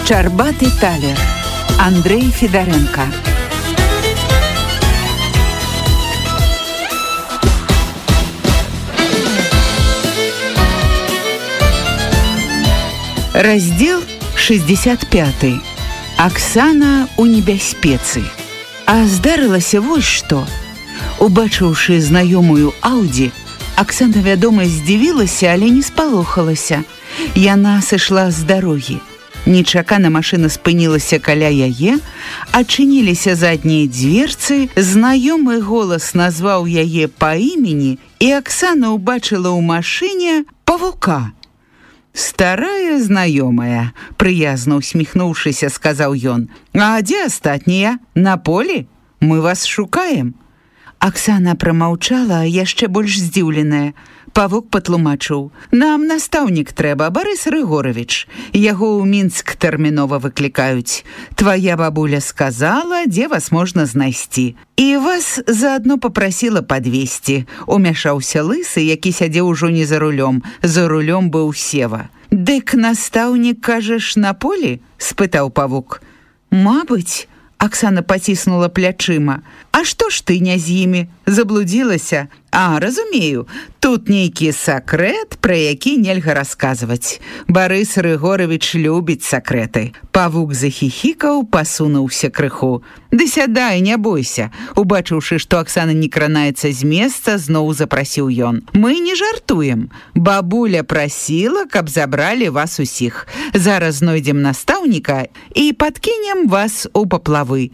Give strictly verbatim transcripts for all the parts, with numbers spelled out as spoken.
Шчарбаты талер. Андрей Федоренко. Раздел шестьдесят пятый. Аксана у небяспецы. А здарылася вось што. Убачыўшы знаёмую Ауді, Аксана, вядома, здзівілася, але не спалохалася. Яна сышла з дарогі. Нечакана машына спынілася каля яе, адчыніліся заднія дзверцы, знаёмы голас назваў яе па імені, і Аксана ўбачыла ў машыне павука. «Старая знаёмая», прыязна усміхнуўшыся, сказаў ён. «А дзе астатнія? На полі? Мы вас шукаем». Аксана прамаўчала, яшчэ больш здзіўленая. Павук патлумачыў: «Нам настаўнік трэба, Барыс Рыгоровіч. Яго ў Мінск тэрмінова выклікаюць. Твая бабуля сказала, дзе вас можна знайсці. І вас заадно папрасіла падвесці». Умяшаўся Лысы, які сядзеў ужо не за рулём. За рулём быў Сева. «Дык настаўнік, кажаш, на полі?» – спытаў павук. «Мабыць». Аксана паціснула плячыма. «А што ж ты не з імі? Заблудзілася? А, разумею, тут нейкі сакрэт, пра які нельга расказваць. Барыс Рыгоровіч любіць сакрэты». Павук захіхікаў, пасунуўся крыху. «Ды сядай, не бойся». Убачыўшы, што Аксана не кранаецца з месца, зноў запрасіў ён. «Мы не жартуем. Бабуля прасіла, каб забралі вас усіх. Зараз знойдзем настаўніка і падкінем вас у паплавы».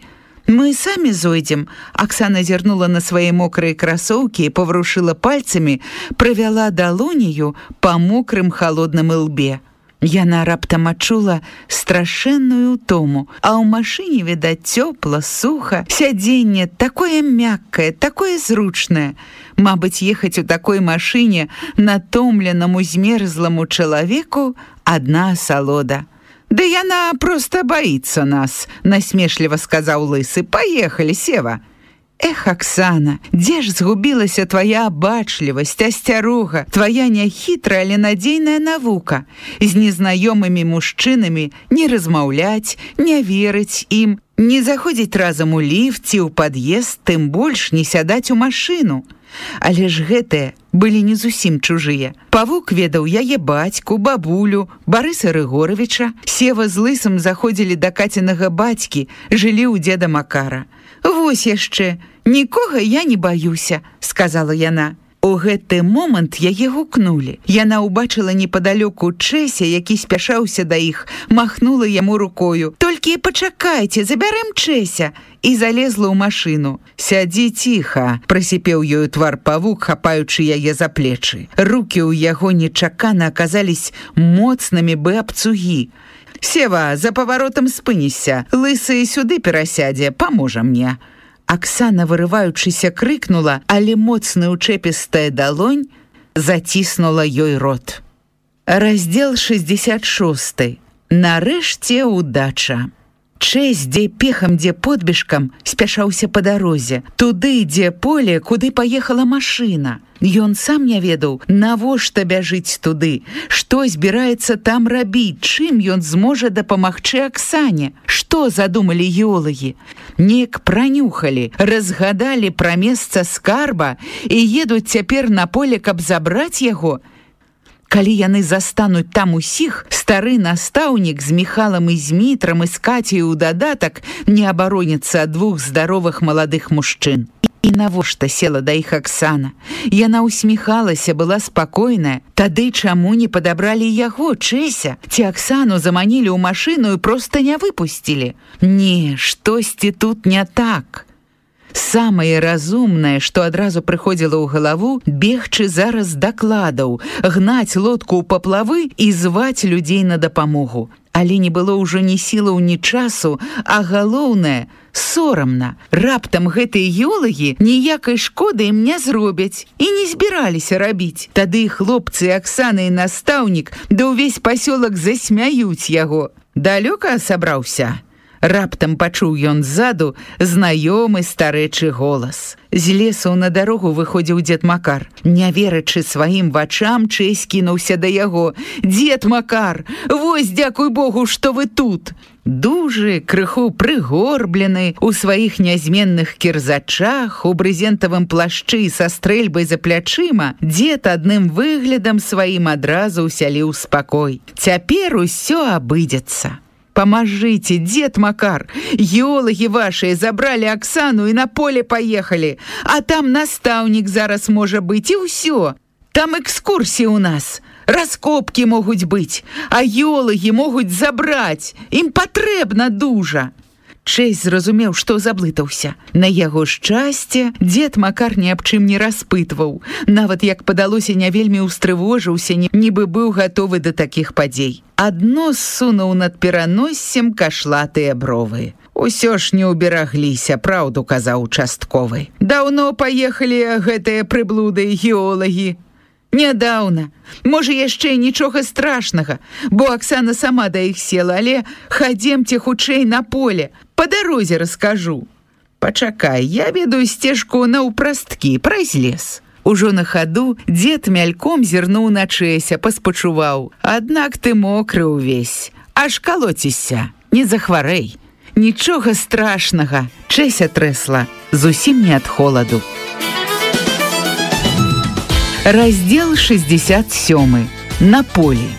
«Мы самі зойдзем». Аксана зірнула на свае мокрыя красоўкі і паврушыла пальцамі, правяла далонію па мокрым халодным ілбе. Яна раптам адчула страшэнную ўтому, а ў машыне, відаць, цёпла, суха, сядзенне такое мяккае, такое зручнае. Мабыць, ехаць у такой машыне натомленаму змерзламу чалавеку адна асалода. «Да яна проста боится нас», – насмешліва сказаў Лысы. «Поехали, Сева». «Эх, Аксана, дзе ж згубілася твая абачлівасць, асцярога, твая няхітрая, але надзейная навука? З незнаёмымі мужчынамі не размаўляць, не верыць ім, не заходзіць разам у ліфт ці ў пад'езд, тым больш не сядаць у машыну». Але ж гэтыя былі не зусім чужыя. Павук ведаў яе бацьку, бабулю, Барыса Рыгоровіча. Сева з Лысым заходзілі да Кацінага бацькі, жылі ў дзеда Макара. «Вось яшчэ, нікога я не баюся», – сказала яна. У гэты момант яе гукнулі. Яна ўбачыла непадалёку Чэся, які спяшаўся да іх, махнула яму рукою. «Толькі пачакайце, забярэм Чэся», і залезла ў машыну. «Сядзі ціха», – прасіпеў ёю твар павук, хапаючы яе за плечы. Рукі ў яго нечакана аказались моцнымі бы абцугі. «Сева, за паваротам спыніся. Лысы сюды перасядзе, паможа мне». Аксана, вырываючыся, крыкнула, але моцная учэпістая далонь заціснула ёй рот. Раздзел шестьдесят шесты. Нарэшце удача. Чэсь, дзе пехам, дзе подбежкам, спяшаўся па дарозе. Туды, дзе поле, куды паехала машына. Ён сам не ведаў, навошта бяжыць туды, што збіраецца там рабіць, чым ён зможа дапамагчы Аксане. Што задумалі геолагі? Неяк пранюхалі, разгадалі пра месца скарба і едуць цяпер на поле, каб забраць яго. Калі яны застануць там усіх, стары настаўнік з Міхалам і Змітрам і з Кацяй у дадатак не абароніцца ад двух здаровых маладых мужчын. І навошта села да іх Аксана? Яна усміхалася, была спакойная. Тады чаму не падабралі яго, Чэся? Ці Аксану заманілі ў машыну і проста не выпусцілі? Не, штосьці тут не так. Самае разумнае, што адразу прыходзіла ў галаву, бегчы зараз дакладаў, гнаць лодку ў паплавы і зваць людзей на дапамогу. Але не было ўжо ні сілаў, ні часу, а галоўнае – сорамна. Раптам гэтыя геолагі ніякай шкоды ім не зробяць і не збіраліся рабіць. Тады хлопцы, Аксана і настаўнік, да ўвесь пасёлак засмяюць яго. «Далёка сабраўся?» Раптам пачуў ён ззаду знаёмы старэчы голас. З лесу на дарогу выходзіў дзед Макар. Не верачы сваім вачам, Чэсь кінуўся да яго. «Дзед Макар, вось, дзякуй Богу, што вы тут!» Дужы, крыху прыгорблены, у сваіх нязменных кірзачах, у брызентавым плашчы са стрэльбай за плячыма, дзед адным выглядам сваім адразу ўсяліў спакой. Цяпер усё абыдзецца. «Поможите, дед Макар! Геологи ваши забрали Оксану и на поле поехали, а там наставник зараз може быть, и все. Там экскурсии у нас, раскопки могут быть, а геологи могут забрать, им потребна дужа». Чэсь зразумеў, што заблытаўся. На яго шчасце дзед Макар ні аб чым не распытваў. Нават, як падалося, не вельмі устрывожыўся, нібы быў гатовы да такіх падзей. Адно ссунуў над пераноссем кашлатыя бровы. «Усё ж не уберагліся, праўду казаў участковы. Даўно паехалі гэтыя прыблуды геолагі». «Нядаўна. Можа, яшчэ нічога страшнага, бо Аксана сама да іх села, але хадземце хутчэй на поле, па дарозе раскажу». «Пачакай, я ведаю сцежку наўпрасткі, праз лес». Ужо на хаду дзед мяльком зірнуў на Чэся, паспачуваў. «Аднак ты мокры ўвесь, аж калоцішся, не захварэй». «Нічога страшнага», Чэся трэсла, зусім не ад холаду. Раздзел шэсцьдзесят сёмы. На полі.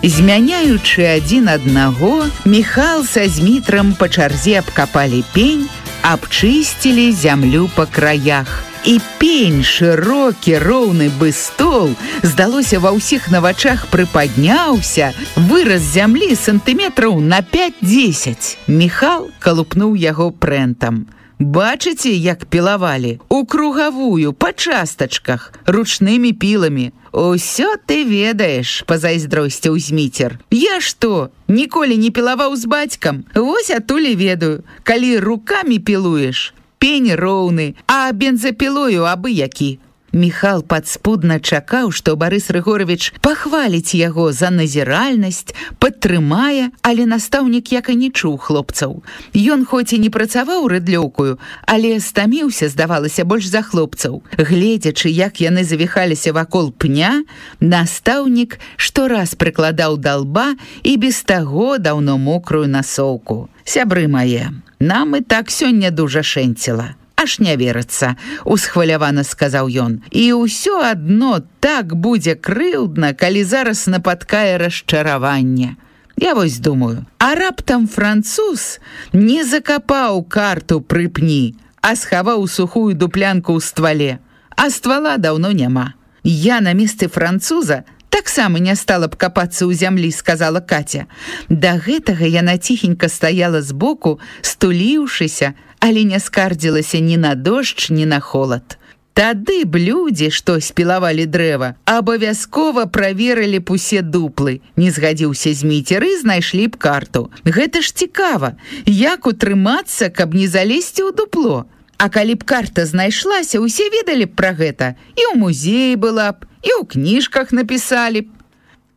Змяняючы адзін аднаго, Міхал са Змітрам па чарзе абкапалі пень, абчысцілі зямлю па краях. І пень, шырокі, роўны бы стол, здалося, ва ўсіх на вачах прыпадняўся, вырас зямлі сантыметраў на пяць-дзесяць. Міхал калупнуў яго прэнтам. «Бачыце, як пілавалі? У кругавую, па частачках, ручнымі піламі. Усё ты ведаеш», – пазайздросціў Зміцер. «Я што, ніколі не пілаваў з бацькам? Вось атулі ведаю. Калі рукамі пілуеш, пень роўны, а бензапілою абы які». Міхал падспудна чакаў, што Барыс Рыгоровіч пахваліць яго за назіральнасць, падтрымае, але настаўнік як і не чуў хлопцаў. Ён хоць і не працаваў рыдлёўкаю, але стаміўся, здавалася, больш за хлопцаў. Гледзячы, як яны завіхаліся вакол пня, настаўнік штораз прыкладаў да лба і без таго даўно мокрую насоўку. «Сябры мае, нам і так сёння дужа шэнціла. Аж не верыцца», – усхвалявана сказаў ён. «І ўсё адно так будзе крыўдна, калі зараз напаткае расчараванне. Я вось думаю, а раптам француз не закапаў карту пры пні, а схаваў сухую дуплянку ў ствале, а ствала даўно няма. Я на месцы француза таксама не стала б капацца ў зямлі», – сказала Катя. Да гэтага яна ціхенька стаяла збоку, стуліўшыся, але не скардзілася ні на дождж, ні на холад. Тады б людзі, што спілавалі дрэва, абавязкова праверылі б усе дуплы, не згадзіўся Зміцер, і знайшлі б карту. Гэта ж цікава, як утрымацца, каб не залезці ў дупло. А калі б карта знайшлася, усе ведалі б пра гэта, і ў музеі была б, і ў кніжках напісалі б.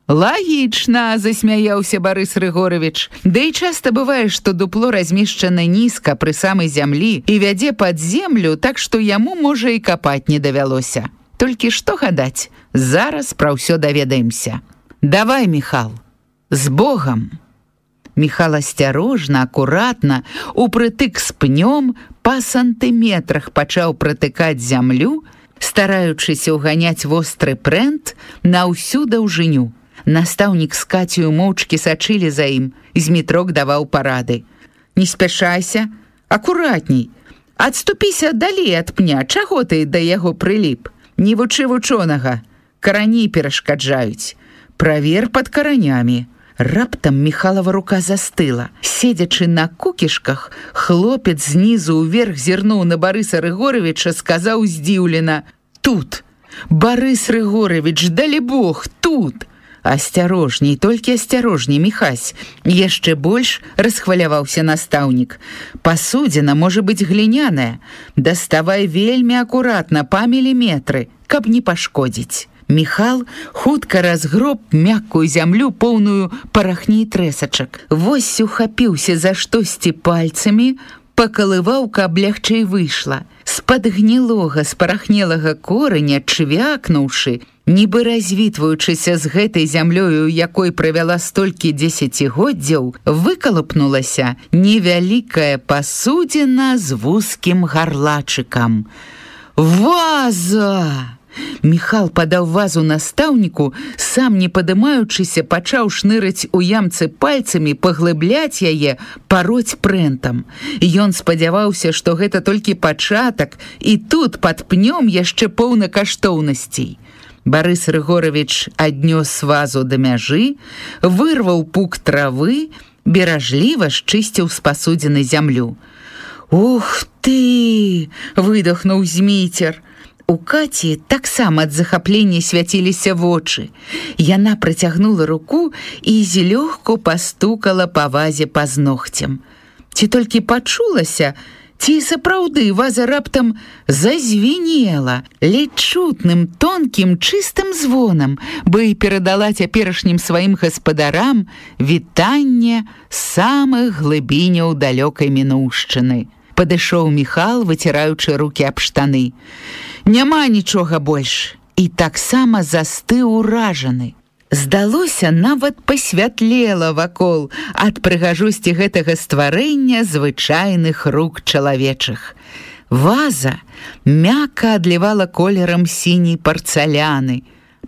«Лагічна», – засмяяўся Барыс Рыгоровіч. «Да і часта бывае, што дупло размешчана нізка пры самай зямлі і вядзе пад землю, так што яму, можа, і капаць не давялося. Толькі што гадаць, зараз пра ўсё даведаемся. Давай, Міхал, з Богам». Міхал асцярожна, акуратна, упрытык з пнём, па сантыметрах пачаў пратыкаць зямлю, стараючыся ўганяць востры прэнт на ўсю даўжыню. Настаўнік з Кацею моўчкі сачылі за ім, Змітрок даваў парады. «Не спяшайся, акуратней. Адступіся далей ад пня, чаго ты да яго прыліп? Не вучы вучонага, карані перашкаджаюць. Правер пад каранямі». Раптам Міхалава рука застыла. Седзячы на кукішках, хлопец знізу ўверх зірнуў на Барыса Рыгоровіча, сказаў здзіўлена: «Тут! Барыс Рыгоровіч, далі Бог, тут!» «Асцярожней, толькі асцярожней, Міхась!» Яшчэ больш расхваляваўся настаўнік. «Пасудзіна можа быць гліняная. Даставай вельмі акуратна, па міліметры, каб не пашкодзіць». Міхал хутка разгроб мяккую зямлю, поўную парахні і трэсачак. Вось ухапіўся за штосьці пальцамі, пакалываў, каб лягчэй выйшла. З-пад гнілога, спарахнелага кораня, чвякнуўшы, нібы развітваючыся з гэтай зямлёю, якой правяла столькі дзесяцігоддзяў, выкалупнулася невялікая пасудзіна з вузкім гарлачыкам. Ваза! Міхал падаў вазу настаўніку, сам не падымаючыся, пачаў шнырыць у ямцы пальцамі, паглыбляць яе, пароць прэнтам. Ён спадзяваўся, што гэта толькі пачатак, і тут пад пнём яшчэ поўна каштоўнасцей. Барыс Рыгоровіч аднёс вазу да мяжы, вырваў пук травы, беражліва счысціў з пасудзіны зямлю. «Ух ты!» – выдохнуў Зміцер. У Каці таксама ад захаплення свяціліся вочы. Яна працягнула руку і злёгку пастукала па вазе пазногцем. Ці толькі пачулася, ці сапраўды ваза раптам зазвінела ледзь чутным, тонкім, чыстым звонам, бы і перадала цяперашнім сваім гаспадарам вітанне самых глыбіняў далёкай мінуўшчыны. Падышоў Міхал, выціраючы рукі аб штаны. Няма нічога больш. І таксама застыў уражаны. Здалося, нават пасвятлела вакол ад прыгажосці гэтага стварэння звычайных рук чалавечых. Ваза мякка адлівала колерам сіняй парцаляны.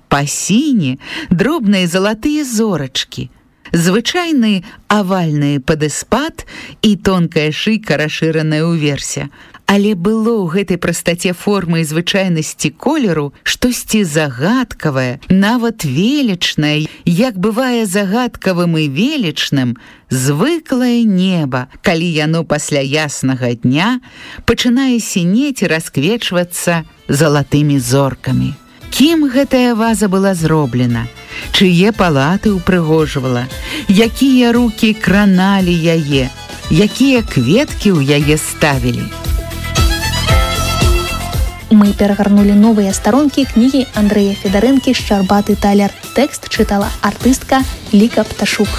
Па сіні дробныя залатыя зорачкі. Звычайны авальны падэспад і тонкая шыйка, расшыраная ўверсе. Але было ў гэтай прастаце формы і звычайнасці колеру штосьці загадкавае, нават велічнае, як бывае загадкавым і велічным, звыклае неба, калі яно пасля яснага дня пачынае сінець і расквечвацца залатымі зоркамі. Кім гэтая ваза была зроблена? Чые палаты ўпрыгожвала? Якія рукі краналі яе? Якія кветкі ў яе ставілі? Мы перагарнулі новыя старонкі кнігі Андрэя Федарэнкі «Шчарбаты талер». Тэкст чытала артыстка Ліка Пташук.